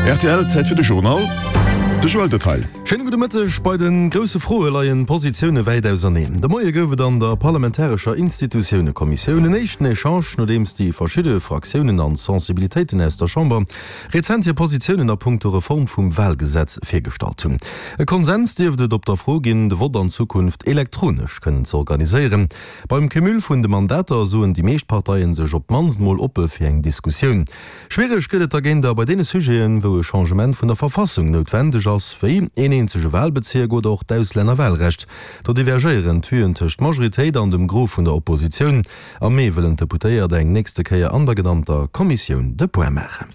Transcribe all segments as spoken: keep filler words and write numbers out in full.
Rtl, Zäit fir de Journal, de Joël Detail. Schéine gudde Mëtteg. Bei de grousse Froe leien d'Positioune wäit auserneen. De Moie gouf et an der parlamentarescher Institutiounekommissioun en éischten Echange, nodeems déi verschidde Fraktiounen an Sensibilitéiten aus der Chamber rezent hir Positiounen a punkto Reform vum Walgesetz virgestallt hunn. E Konsens dierft et op der Fro ginn, de Vott an Zukunft elektronesch kënnen ze organiséieren. Beim Cumul vun de Mandater soen déi meescht Parteien sech op d'mannst mol oppe fir eng Diskussioun. Schwiereg gëtt et dergéint bei deene Sujeten, wou e Changement vun der Verfassung noutwendeg ass, wéi een eenzege Walbezierk oder och d'Auslännerwalrecht. Do divergéieren d'Vuen tëscht Majoritéit an dem Gros vun der Oppositioun. Am Mee wëllen d'Deputéiert eng nächste Kéier an der genannter Kommissioun de Point maachen.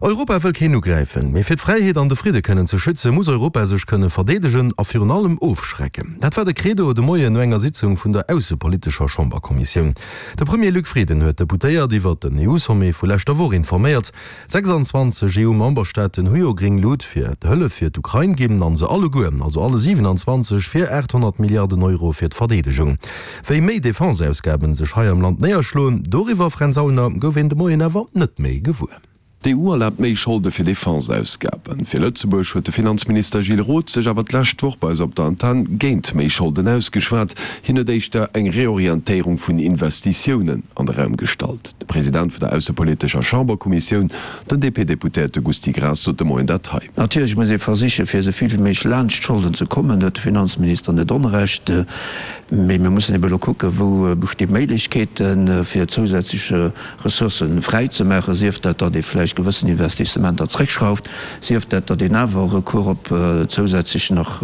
Europa wëll keen ugräifen, mee fir d'Fräiheet an de Fridde kënnen ze schützen, muss Europa sech kënne verdeedegen a virun allem ofschrecken. Dat war de Credo de Moien no enger Sitzung vun der aussepolitescher Chamberkommissioun. De Premier Luc Frieden huet d'Deputéiert iwwert den E U-Sommet vu leschter Woch informéiert. sechsanzwanzeg E U-Memberstaaten hu jo gréng Lut fir d'Hëllef fir d'Ukrain ginn, an se alleguer, also alle siwenanzwanzeg, fir aathonnert Milliarden Euro fir d'Verdeedegung. Wéi méi Defense-Ausgaben sech hei am Land néierschloen, doriwwer, Fränz Aulner, gouf een de Moien awer net méi gewuer. D'E U erlaabt méi Scholde fir Defense-Ausgaben. Fir Lëtzebuerg huet de Finanzminister Gilles Roth sech awer d'lescht Woch bei eis op der Antenn géint méi Scholden ausgeschwat. Hien huet éischter eng Reorientéierung vun Investitiounen an de Raum gestallt. De President vun der aussepolitescher Chamberkommissioun, den D P-Deputéierte Gusty Graas, sot de Moien dat hei. Natierlech muss ee versichen, fir esou vill wéi méiglech laanscht d'Scholden ze kommen. Do huet de Finanzminister net Onrecht. Mee mir mussen ebe elo kucken, wou besti Méiglechkeeten, fir zousätzlech Ressourcë fräi ze maachen, sief dat, datt ee vläicht gewëssen Investissementer zréckschrauft, sief dat, datt een awer Recours op zousätzlech nach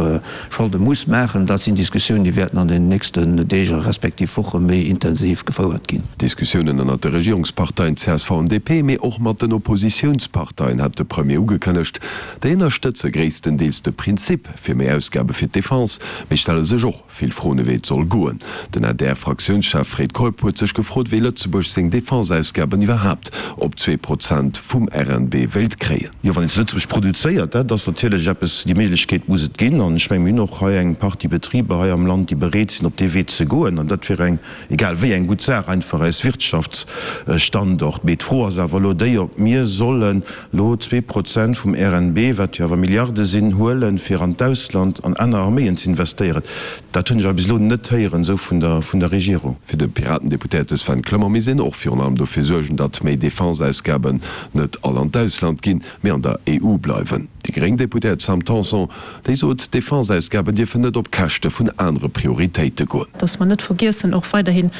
Scholde muss maachen. Dat sinn Diskussiounen, déi wäerten an den nächsten Deeg a respektiv Woche méi intensiv gefouert ginn. Diskussiounen ënnert de Regierungsparteien C S V an D P, mee och mat den Oppositiounsparteien hat de Premier ugekënnegt. Déi ënnerstëtze gréisstendeels de Prinzip fir méi Ausgabe fir d'Defense, mee stelle sech och vill Froen, wéi et soll goen. Den A D R-Fraktiounschef Fred Keup huet sech gefrot, wéi Lëtzebuerg seng Defenseausgaben iwwerhaapt op zwee Prozent vum R N B wéilt kréien. Jo, wann een zu Lëtzebuerg produzéiert, dat ass natierlech eppes, déi Méiglechkeet muss et ginn. An ech mengen, mir hunn och hei eng Partie Betriber hei am Land, déi bereet sinn, op dee Wee ze goen. An dat wier eng, egal wéi, eng gutt Saach einfach als Wirtschaftsstandort. Mee d'Fro ass awer elo déi, ob mir sollen elo zwee Prozent vum R N B, wat jo awer Milliarde sinn, huelen, fir an d'Ausland an aner Arméien ze investéieren. Dat hunn ech awer bis elo net héieren esou vun der, vun der Regierung. Fir de Piraten-Deputéierte Sven Clement misst een och virun allem dofir suergen, datt méi Defenseausgaben net all an d'Ausland ginn, mee an der E U bleiwen. Déi gréng Deputéiert Sam Tanson, déi sot, Defenseausgaben dierfen net op Käschte vun anere Prioritéite goen. Dass mer net vergiessen, och weiderhin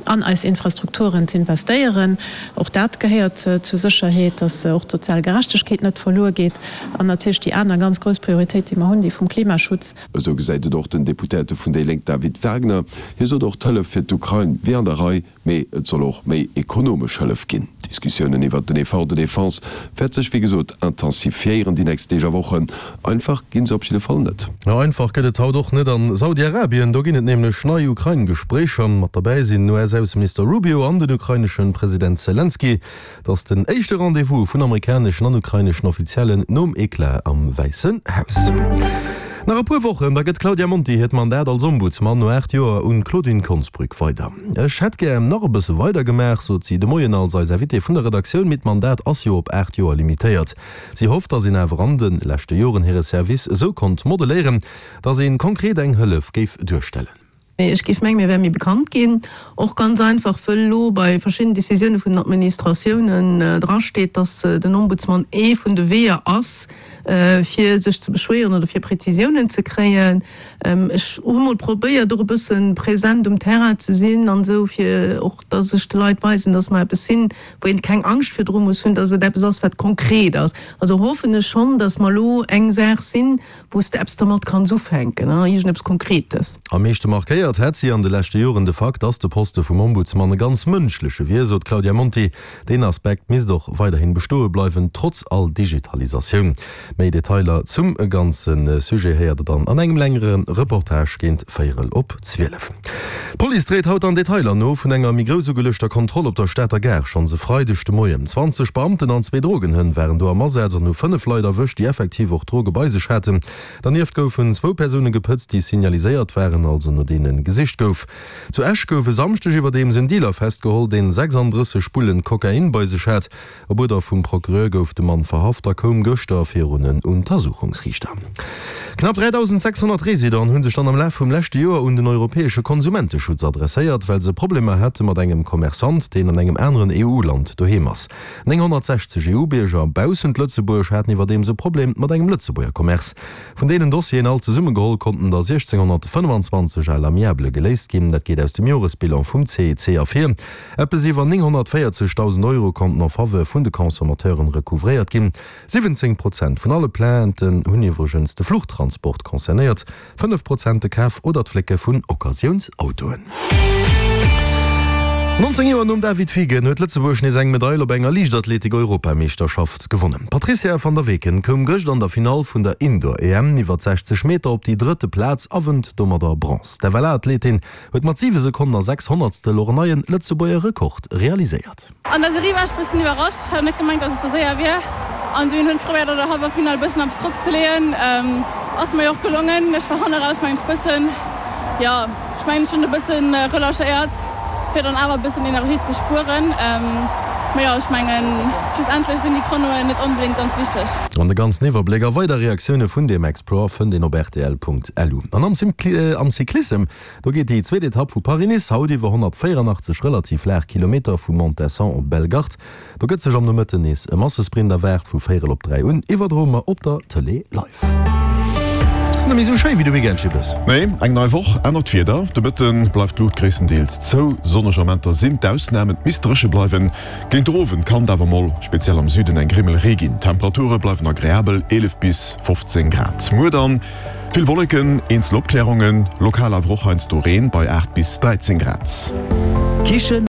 an eis Infrastrukturen ze investéieren. Och dat gehéiert zur Sécherheet, dass och d'sozial Gerechtegkeet net verluer geet. An natierlech déi aner ganz grouss Prioritéit, déi mer hunn, déi vum Klimaschutz. Esou gesäit et och den Deputéierte vun déi Lénk David Wagner. Hie sot och, d'Hëllef fir d'Ukrain wier an der Rei, mee et soll och méi ekonomesch Hëllef ginn. D'Diskussiounen iwwert den Effort de défense wäert sech wéi gesot intensifiéieren déi nächst Deeg a Wochen. Einfach ginn se op jidde Fall net. Jo, einfach gëtt et haut och net a Saudi-Arabien. Do ginn et nämlech nei Ukrain-Gespréicher. Mat derbäi sinn den U S-Ausseminister Rubio an den ukrainesche President Selenskyj. Et ass den éischte Rendez-vous vun amerikaneschen an ukraineschen Offiziellen nom Eclat am Wäissen Haus. Nach e puer Wochen, da gëtt d'Claudia Monti hiert Mandat als Ombudsman no aacht Joer un d'Claudine Konsbrück weider. Ech hätt gär nach e bësse weider gemaach, sot si de Moien als eis Invitée vun der Redaktioun, mee d'Mandat ass jo op aacht Joer limitéiert. Si hofft, datt een awer an de leschte Joren hire Service esou konnt modeléieren, datt ee konkret eng Hëllef géif duerstellen. Ech géif mengen, mir wäre méi bekannt ginn, och ganz einfach, wëll elo bei verschiddenen Decisioune vun den Administratiounen drasteet, datt den Ombudsman ee vun de Weeër ass, fir sech ze beschwéieren oder fir Prezisiounen ze kréien. Ech hu mol probéiert, och e bësse present um Terrain ze sinn an esou, fir och, datt ech de Leit weisen, datt mer eppes sinn, wou een keng Angscht virdru muss hunn, datt et eppes ass, wat konkret ass. Also hoffen ech schonn, datt mer elo eng Saach sinn, wou s de eppes dermat kanns ufänken, iergendeppes Konkretes. Am meeschte markéiert hätt si an de leschte Joren de Fakt, dass de Poste vum Ombudsman e ganz mënschleche wier, sot d'Claudia Monti. Deen Aspekt misst och weiderhin bestoe bleiwen, trotz all Digitalisatioun. Méi Detailer zum ganze Sujet héiert der dann an engem längere Reportage géint véierel op zwielef. D'Police dréit haut dann Detailer no vun enger méi grouss ugeluechter Kontroll op der Stater Gare schonns e Freideg de Moien. Zwanzeg Beamten an zwee Drogenhënn waren do am Asaz an hu fënnef Leit erwëscht, déi effektiv och Droge bei sech haten. Dernieft goufen zwou Persoune gepëtzt, déi signaliséiert waren, also no deene gesicht gouf. Zu Esch gouf e Samschdeg iwwerdeems en Dealer festgeholl, deen sechsanddrësseg Spullen Kokain bei sech hat. Op Uerder vum Procureur gouf de Mann verhaft a koum gëschter virun en Untersuchungsriichter. Knapp dräidausend sechshonnert Residenten hu sech dann am Laf vum leschte Joer un den europäesche Konsumenteschutz adresséiert, well se Problemer hate mat engem Commerçant, deen an engem aneren E U-Land doheem ass. nénghonnertsechzeg E U-Bierger baussent Lëtzebuerg haten iwwerdeems e Problem mat engem Lëtzebuerger Commerce. Vun deenen Dossieren all zesummegeholl konnten der siechzénghonnertfënnefenzwanzeg à l'amiable geléist ginn. Dat geet aus dem Joresbilan vum C E C ervir. Eppes iwwer nénghonnertvéierzegdausend Euro konnten en faveur vun de Consommateuren recouvréiert ginn. Siwwenzéng Prozent vun alle Plainten hunn iwwregens de Fluchtransport concernéiert, fënnef Prozent de Kaf oder d'Flécke vun Occasiounsautoen. Nonzéng Joer nom David Fiegen huet Lëtzebuerg nees eng Medail op enger Liichtathletik-Europameeschterschaft gewonnen. D'Patrizia van der Weken koum gëscht an der Finall vun der Indoor-E M iwwer sechzeg Meter op déi drëtte Plaz a wënnt domadder Bronze. D'F L A-Athletin huet mat siwe Sekonnen a sechs Honnertstel och en neie Lëtzebuerger Rekord realiséiert. An der Serie war ech bëssen iwwerrascht, ech hat net gemengt, dass et sou séier wier an dunn hunn ech probéiert an der Halleffinall bëssen eppes drop ze leeën. Ass mer jo och gelongen. Ech war hanne raus mengen ech bëssen, jo ech mengen ech hunn e bëssen relâchéiert fir dann awer e bëssen Energie ze spueren. Mee jo ech mengen schlussendlech sinn déi Chronoen net onbedéngt ganz wichteg. An de ganzen Iwwerbléck a weider Reaktioune vun deem Exploit fënnt een op rtl Punkt L U. An am Cyclissem, do geet déi zweet Etapp vu Paris-Nice haut iwwer honnertvéierandachtzeg relativ laang Kilometer vu Montesson op Bellegarde. Do gëtt sech am Nomëtten nees e Massesprint erwaart, vu véierel op dräi un iwwerdroe mer op der Tëlee live. Ass net méi sou schéi wéi de Weekend, Schippes. Nee, eng nei Woch, anert Wieder. De Mëtte bleift d'Luucht gréisstendeels zou. Sonneg Amenter sinn d'Ausnam, et misst dréche bleiwen. Géint den Owend kann et awer mol, speziell am Süden, eng Grimmel Ree ginn. D'Temperature bleiwen agreabel, eelef bis fofzéng Grad. Muer dann vill Wolleken, eenzel Opklärungen, lokal awer och heiansdo Reen bei aacht bis dräizéng Grad. Kichen.